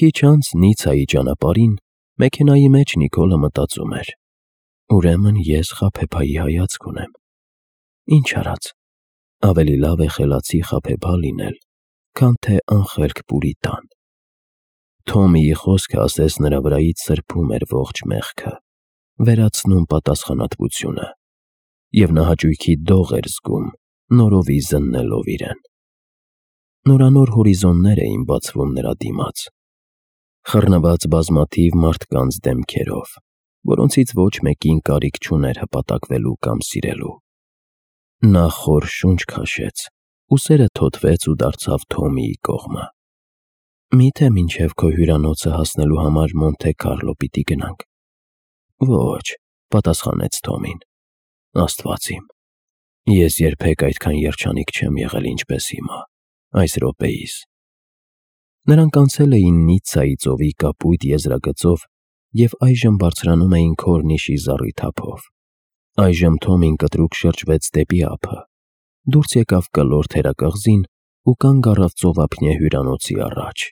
Քիչ անց Նիցայի ճանապարհին մեքենայի մեջ Նիկոլը մտածում էր. ուրեմն ես խաբեբայի հայացք ունեմ։ Ինչ արած, ավելի լավ է խելացի խաբեբա լինել, քան թե անխելք պուրիտան։ Թոմիի խոսքը ասես նրա վրայից սրբում էր ողջ մեղքը, վերացնում պատասխանատվությունը, և նա հաճույքի դող էր զգում, նորովի զննելով իրեն։ Նորանոր հորիզոններ էին բացվում նրա դիմաց, խռնված բազմաթիվ մարդկանց դեմքերով, որոնցից ոչ մեկին կարիք չուներ հպատակվելու կամ սիրելու։ Նա խոր շունչ քաշեց, ուսերը թոթվեց ու դարձավ Թոմիի կողմը։ Միթե մինչև քո հյուրանոցը հասնելու համար Մոնթե Քարլո պիտի գնանք։ Ոչ, պատասխանեց Թոմին, Աստված իմ, ես երբեք այդքան երջանիկ չեմ եղել, ինչպես հիմա, այս րոպեիս։ Նրանք անցել էին Նիցայի ծովի կապույտ եզրագծով և այժմ բարձրանում էին Քորնիշի զառիթափով։ Այժմ Թոմին կտրուկ շրջվեց դեպի ափը, դուրս եկավ կլոր թերակղզին ու կանգ առավ ծովափնյա հյուրանոցի առաջ։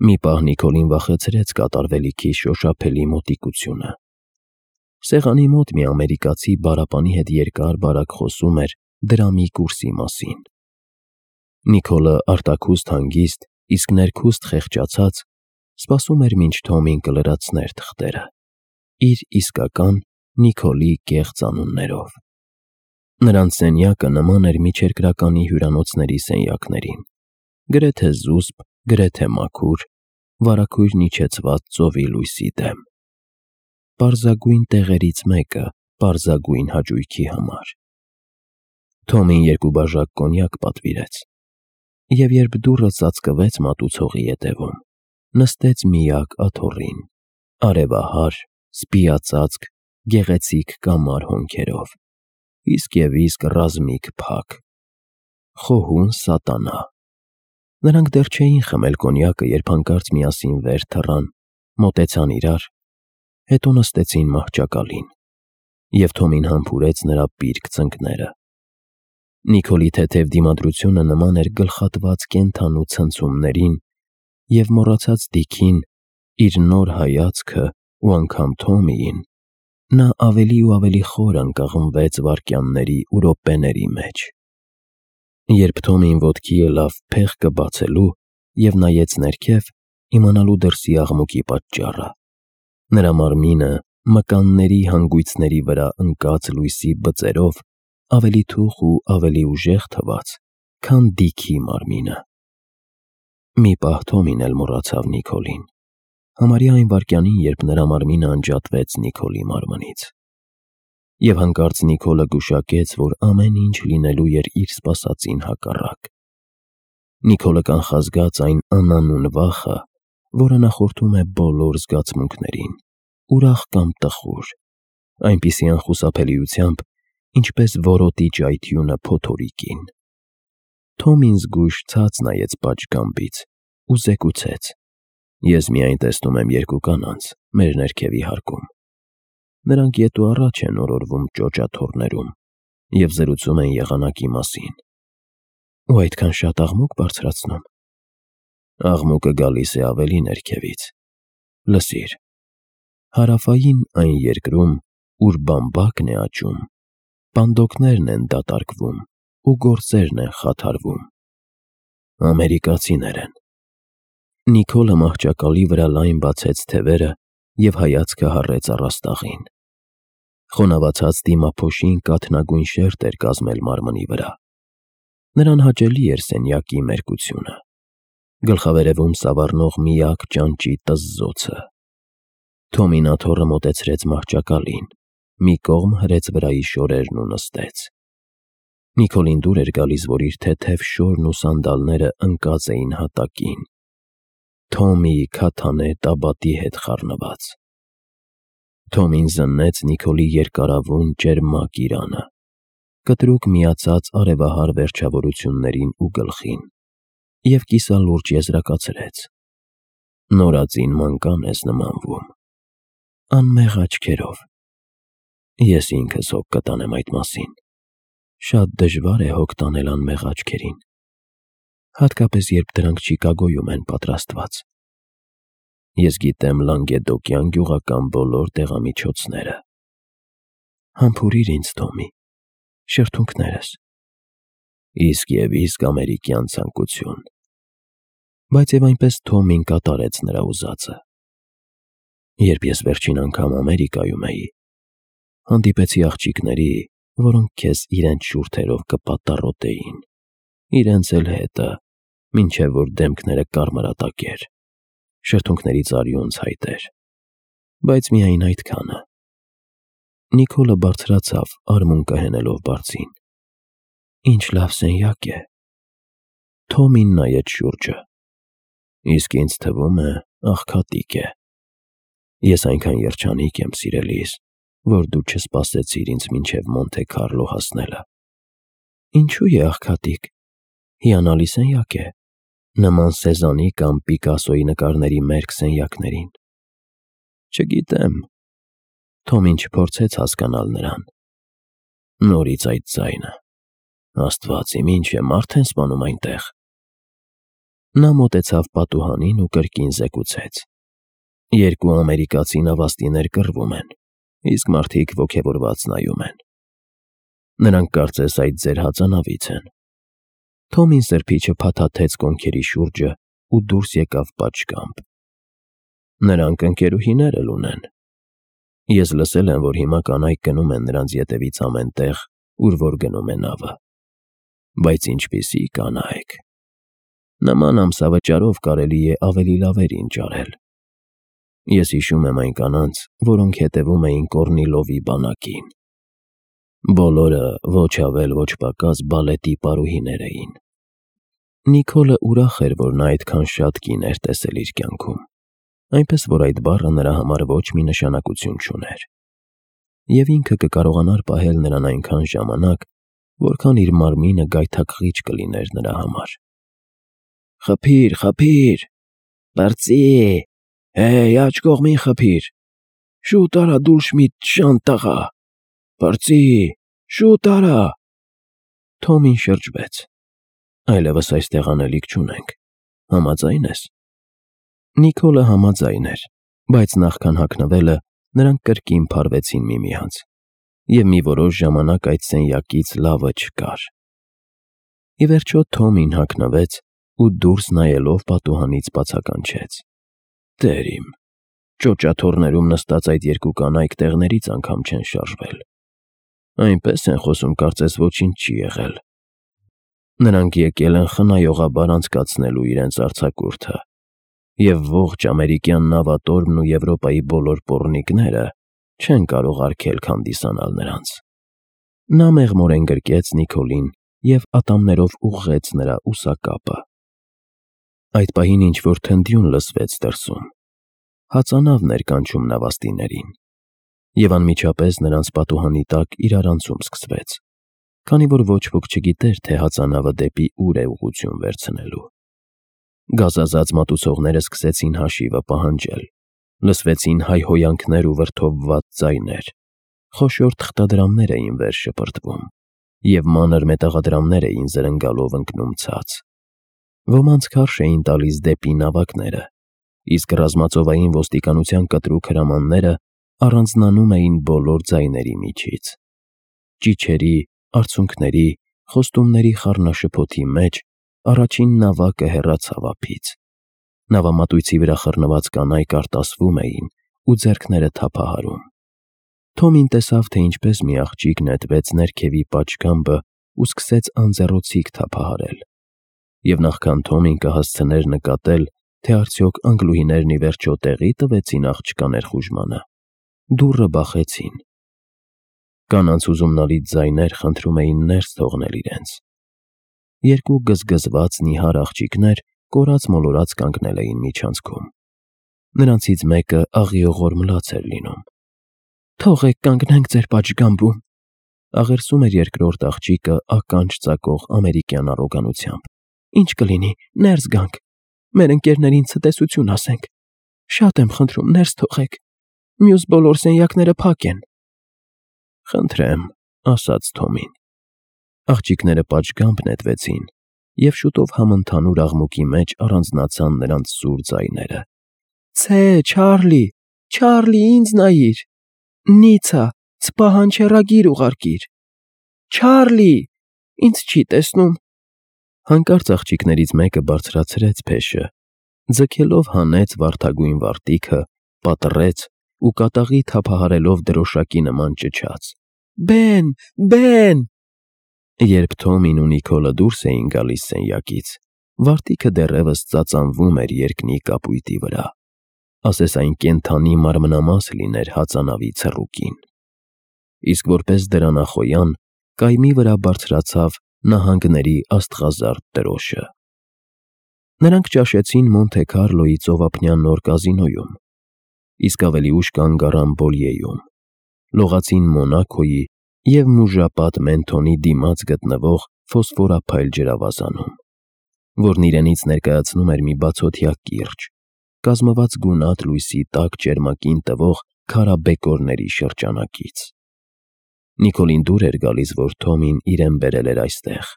Մի պահ Նիկոլին վախեցրեց կատարվելիքի շոշափելի մոտիկությունը։ Սեղանի մոտ մի ամերիկացի բարապանի հետ երկար-բարակ խոսում էր դրամի կուրսի մասին։ Նիկոլը արտաքուստ հանգիստ, իսկ ներքուստ խեղճացած, սպասում էր, մինչ Թոմին կլրացներ թղթերը, իր իսկական Նիկոլի կեղծ անուններով։ Նրանց սենյակը նման էր միջերկրականի հյուրանոցների սենյակներին, գրեթե զուսպ, գրեթե մաքուր, վարագույրն իջեցված ծովի լույսի դեմ։ Պարզագույն տեղերից մեկը պարզագույն հաճույքի համար։ Թոմին 2 բաժակ կոնյակ պատվիրեց, և երբ դուռը ծածկվեց մատուցողի ետևում, նստեց միակ աթոռին, արևահար, սպիածածկ, գեղեցիկ կամար հոնքերով, իսկ և իսկ ռազմիկ փակ, խոհուն սատանա։ Նրանք դեռ չէին խմել կոնյակը, երբ հանկարծ միասին վեր թռան, մոտեցան իրար, հետո նստեցին մահճակալին, և Թոմին համբուրեց նրա պիրկ ծնկները։ Նիկոլի թեթև դիմադրությունը նման էր գլխատված կենդանու ցնցումներին, և մոռացած դիքին, իր նոր հայացքը ու անգամ Թոմիին, նա ավելի ու ավելի խոր ընկղմվեց վայրկյանների ու րոպեների մեջ։ Երբ Թոմին ոտքի ելավ փեղկը բացելու և նայեց ներքև, իմանալու դրսի աղմուկի պատճառը, նրա մարմինը մկանների հանգույցների վրա ընկած լույսի բծերով ավելի թուխ ու ավելի ուժեղ թվաց, քան դիքի մարմինը։ Մի պահ Թոմին էլ մոռացավ Նիկոլին, համարյա այն վայրկյանին, երբ նրա մարմինը անջատվեց Նիկոլի մարմնից։ Եվ հանկարծ Նիկոլը գուշակեց, որ ամեն ինչ լինելու էր իր սպասածին հակառակ։ Նիկոլը կանխազգաց այն անանուն վախը, որը նախորդում է բոլոր զգացմունքներին, ուրախ կամ տխուր, այնպիսի անխուսափելիությամբ, ինչպես որոտի ճայթյունը փոթորիկին։ Թոմին զգույշ ցած նայեց պատշգամբից ու զեկուցեց. ես միայն տեսնում եմ 2 կանանց մեր ներքևի հարկում։ Նրանք ետ ու առաջ են օրորվում ճոճաթոռներում և զրուցում են եղանակի մասին։ Ու այդքան շատ աղմուկ բարձրացնում։ Աղմուկը գալիս է ավելի ներքևից։ Լսիր, հարավային այն երկրում, ուր բամբակն է աճում, պանդոկներն են դատարկվում ու գործերն են խաթարվում։ Ամերիկացիներ են։ Նիկոլը մահճակալի վրա լայն բացեց թևերը և հայացքը հառեց առաստաղին։ Խոնավացած դիմափոշին կաթնագույն շերտ էր կազմել մարմնի վրա։ Նրան հաճելի էր սենյակի մերկությունը, գլխավերևում սավառնող միակ ճանճի տզզոցը։ Թոմին աթոռը մոտեցրեց մահճակալին, մի կողմ հրեց վրայի շորերն ու նստեց։ Նիկոլին դուր էր գալիս, որ իր թեթև շորն ու սանդալները ընկած էին հատակին, Թոմիի քաթանե տաբատի հետ խառնված։ Թոմին զննեց Նիկոլի երկարավուն ճերմակ իրանը, կտրուկ միացած արևահար վերջավորություններին ու գլխին, և կիսալուրջ եզրակացրեց. նորածին մանկան ես նմանվում, անմեղ աչքերով։ Ես ինքս հոգ կտանեմ այդ մասին։ Շատ դժվար է հոգ տանել անմեղ աչքերին, հատկապես երբ դրանք Չիկագոյում են պատրաստված։ Ես գիտեմ Լանգեդոկյան գյուղական բոլոր տեղամիջոցները։ Համբուրիր ինձ, Թոմի, շրթունքներս։ Իսկ և իսկ ամերիկյան ցանկություն։ Բայց և այնպես Թոմին կատարեց նրա ուզածը։ Երբ ես վերջին անգամ Ամերիկայում էի, հանդիպեցի աղջիկների, որոնք քեզ իրենց շուրթերով կպատառոտեին, իրենց էլ հետը, մինչև որ դեմքները կարմրատակեր, շրթունքներից արյուն ցայտեր, բայց միայն այդքանը։ Նիկոլը բարձրացավ, արմունկը հենելով բարձին։ Ինչ լավ սենյակ է։ Թոմին նայեց շուրջը։ Իսկ ինձ թվում է, աղքատիկ է։ Ես այնքան երջանիկ եմ, սիրելիս, որ դու չսպասեցիր ինձ մինչև Մոնթե Քարլո հասնելը։ Ինչու է աղքատիկ։ Հիանալի սենյակ է, նման Սեզաննի կամ Պիկասոյի նկարների մերկ սենյակներին։ Չգիտեմ։ Թոմին չփորձեց հասկանալ նրան։ Նորից այդ ձայնը։ Աստված իմ, ինչ է մարդ են սպանում այնտեղ։ Նա մոտեցավ պատուհանին ու կրկին զեկուցեց. Երկու ամերիկացի նավաստիներ կռվում են, իսկ մարդիկ ոգևորված նայում են։ Նրանք կարծես այդ ձեր հածանավից են։ Թոմին սրբիչը փաթաթեց կոնքերի շուրջը ու դուրս եկավ պատշգամբ։ Նրանք ընկերուհիներ էլ ունեն։ Ես լսել եմ, որ հիմա կանայք գնում են նրանց ետևից ամեն տեղ, ուր որ գնում է նավը։ Բայց ինչպիսի կանայք։ Նման ամսավճարով կարելի է ավելի լավերին ճարել։ Ես հիշում եմ այն կանանց, որոնք հետևում էին Կորնիլովի բանակին։ Բոլորը ոչ ավել, ոչ պակաս բալետի պարուհիներ էին։ Նիկոլը ուրախ էր, որ նա այդքան շատ կին էր տեսել իր կյանքում, այնպես որ այդ բառը նրա համար ոչ մի նշանակություն չուներ։ Եվ ինքը կկարողանար պահել նրան այնքան ժամանակ, որքան իր մարմինը գայթակղիչ կլիներ նրա համար։ Խփիր, խփիր, բարձի, հեյ, աջ կողմին խփիր, շուտ արա Դուլշմիտ շան տղա, բարձի, շուտ արա։ Թոմին շրջվեց։ Այլևս այստեղ անելիք չունենք, համաձայն ես։ Նիկոլը համաձայն էր, բայց նախքան հագնվելը նրանք կրկին փարվեցին միմյանց, և մի որոշ ժամանակ այդ սենյակից լավը չկար։ Ի վերջո Թոմին հագնվեց ու դուրս նայելով պատուհանից բացականչեց. Տեր իմ, ճոճաթոռներում նստած այդ երկու կանայք տեղներից անգամ չեն շարժվել։ Այնպես են խոսում, կարծես ոչինչ չի եղել։ Նրանք եկել են խնայողաբար անցկացնելու իրենց արձակուրդը, և ողջ ամերիկյան նավատորմն ու Եվրոպայի բոլոր պոռնիկները չեն կարող արգելք հանդիսանալ նրանց։ Նա մեղմորեն գրկեց Նիկոլին և ատամներով ուղղեց նրա ուսակապը։ Այդ պահին ինչ-որ թնդյուն լսվեց դրսում։ Հածանավն էր կանչում նավաստիներին, և անմիջապես նրանց պատուհանի տակ իրարանցում սկսվեց, քանի որ ոչ ոք չգիտեր, թե հածանավը դեպի ուր է ուղղություն վերցնելու։ Գազազած մատուցողները սկսեցին հաշիվը պահանջել, լսվեցին հայհոյանքներ ու վրդովված ձայներ, խոշոր թղթադրամներ էին վեր շպրտվում, և մանր մետաղադրամներ էին զրնգալով ընկնում ցած։ Ոմանց քարշ էին տալիս դեպի նավակները, իսկ ռազմածովային ոստիկանության կտրուկ հրամանները առանձնանում էին բոլոր ձայների միջից։ Ճիչերի, արցունքների, խոստումների խառնաշփոթի մեջ առաջին նավակը հեռացավ ափից։ Նավամատույցի վրա խռնված կանայք արտասվում էին ու ձեռքները թափահարում։ Թոմին տեսավ, թե ինչպես մի աղջիկ նետվեց ներքևի պատշգամբը ու սկսեց անձեռոցիկ թափահարել։ Եվ նախքան Թոմին կհասցներ նկատել, թե արդյոք անգլուհիներն ի վերջո տեղի տվեցին աղջկա ներխուժմանը, դուռը բախեցին։ Կանանց հուզումնալից ձայներ խնդրում էին ներս թողնել իրենց։ Երկու գզգզված նիհար աղջիկներ կորած-մոլորած կանգնել էին միջանցքում։ Նրանցից մեկը աղիողոր մլաց էր լինում։ Թողեք կանգնենք ձեր պատշգամբում, աղերսում էր երկրորդ աղջիկը ականջ ծակող ամերիկյան առոգանությամբ։ Ինչ կլինի, ներս գանք, մեր ընկերներին ցտեսություն ասենք։ Շատ եմ խնդրում, ներս թողեք, մյուս բոլոր սենյակները փակ են։ Խնդրեմ, ասաց Թոմին։ Աղջիկները պատշգամբ նետվեցին, և շուտով համընդհանուր աղմուկի մեջ առանձնացան նրանց սուր ձայները։ Ցե, Չարլի, ինձ նայիր։ Նիցա, սպահանչեռագիր ուղարկիր։ Չարլի, ինձ չի տեսնում։ Հանկարծ աղջիկներից մեկը բարձրացրեց փեշը, ձգելով հանեց վարդագույն վարտիքը, պատռեց ու կատաղի թափահարելով դրոշակի նման ճչաց. Բեն։ Երբ Թոմին ու Նիկոլը դուրս էին գալիս սենյակից, վարտիքը դեռևս ծածանվում էր երկնի կապույտի վրա, ասես այն կենդանի մարմնամաս լիներ հածանավի ցռուկին։ Իսկ որպես դրանախոյան, կայմի վրա բարձրացավ նահանգների աստղազարդ տրոշը։ Նրանք ճաշեցին Մոնթե Քարլոյի ծովափնյան նոր կազինոյում, իսկ ավելի ուշ կանգ առան Բոլիեում, լողացին Մոնաքոյի և մուժապատ Մենթոնի դիմաց գտնվող ֆոսֆորափայլ ջրավազանում, որն իրենից ներկայացնում էր մի բացօթյա կիրճ, կազմված գունատ լույսի տաք ճերմակին տվող քարաբեկորների շրջանակից։ Նիկոլին դուր էր գալիս, որ Թոմին իրեն բերել էր այստեղ,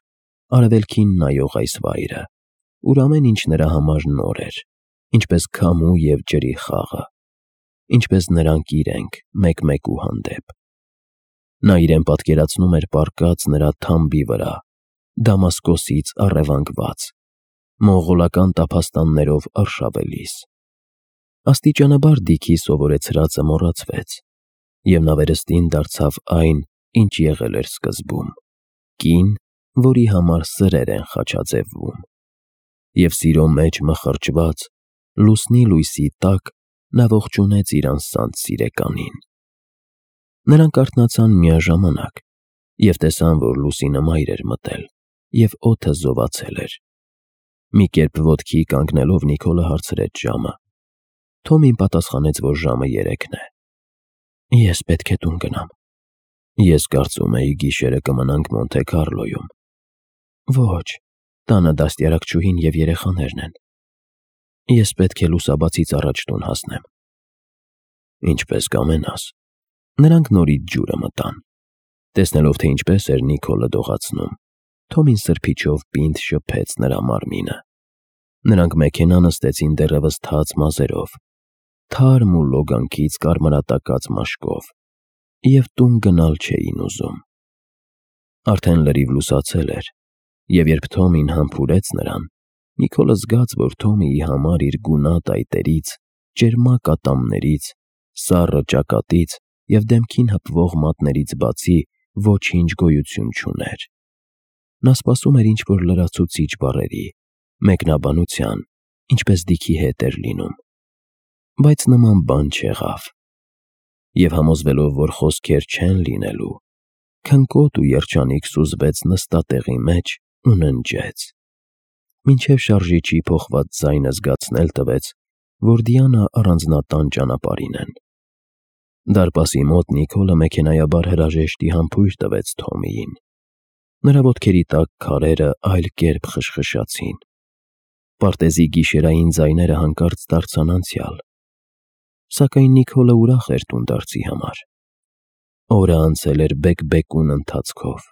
արևելքին նայող այս վայրը, ուր ամեն ինչ նրա համար նոր էր, ինչպես քամու և ջրի խաղը, ինչպես նրանք իրենք մեկ-մեկու հանդեպ։ Նա իրեն պատկերացնում էր պառկած նրա թամբի վրա, Դամասկոսից առևանգված, մոնղոլական տափաստաններով արշավելիս։ Աստիճանաբար Դիքի սովորեցրածը մոռացվեց, և նա վերստին դարձավ այն, ինչ եղել էր սկզբում՝ կին, որի համար սրեր են խաչաձևվում։ Եվ սիրո մեջ մխրճված, լուսնի լույսի տակ նա ողջունեց իր անսանձ սիրեկանին։ Նրանք արթնացան միաժամանակ և տեսան, որ լուսինը մայր էր մտել, և օդը զովացել էր։ Մի կերպ ոտքի կանգնելով Նիկոլը հարցրեց ժամը։ Թոմին պատասխանեց, որ ժամը 3-ն է։ Ես պետք է տուն գնամ։ Ես կարծում էի գիշերը կմնանք Մոնթե Քարլոյում։ Ոչ, տանը դաստիարակչուհին և երեխաներն են։ Ես պետք է լուսաբացից առաջ տուն հասնեմ։ Ինչպես կամենաս։ Նրանք նորից ջուրը մտան։ Տեսնելով, թե ինչպես էր Նիկոլը դողացնում, Թոմին սրբիչով պինդ շփեց նրա մարմինը։ Նրանք մեքենա նստեցին դեռևս թաց մազերով, թարմ ու լոգանքից կարմրատակած մաշկով, և տուն գնալ չէին ուզում։ Արդեն լրիվ լուսացել էր, և երբ Թոմին համբուրեց նրան, Նիկոլը զգաց, որ Թոմիի համար իր գունատ այտերից, ճերմակ ատամներից, սառը ճակատից և դեմքին հպվող մատներից բացի ոչինչ գոյություն չուներ։ Նա սպասում էր ինչ-որ լրացուցիչ բառերի, մեկնաբանության, ինչպես Դիքի հետ էր լինում, բայց նման բան չեղավ։ Եվ համոզվելով, որ խոսքեր չեն լինելու, քնկոտ ու երջանիկ սուզվեց նստատեղի մեջ ու ննջեց, մինչև շարժիչի փոխված ձայնը զգացնել տվեց, որ Դիանա առանձնատան ճանապարհին են։ Դարպասի մոտ Նիկոլը մեքենայաբար հրաժեշտի համբույր տվեց Թոմիին։ Նրա ոտքերի տակ քարերը այլ կերպ խշխշացին։ Պարտեզի գիշերային ձայները հանկարծ դարձան անցյալ։ Սակայն Նիկոլը ուրախ էր տունդարձի համար։ Օրը անցել էր բեկ-բեկուն ընթացքով,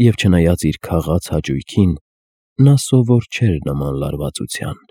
և չնայած իր քաղած հաճույքին, նա սովոր չէր նման լարվածության։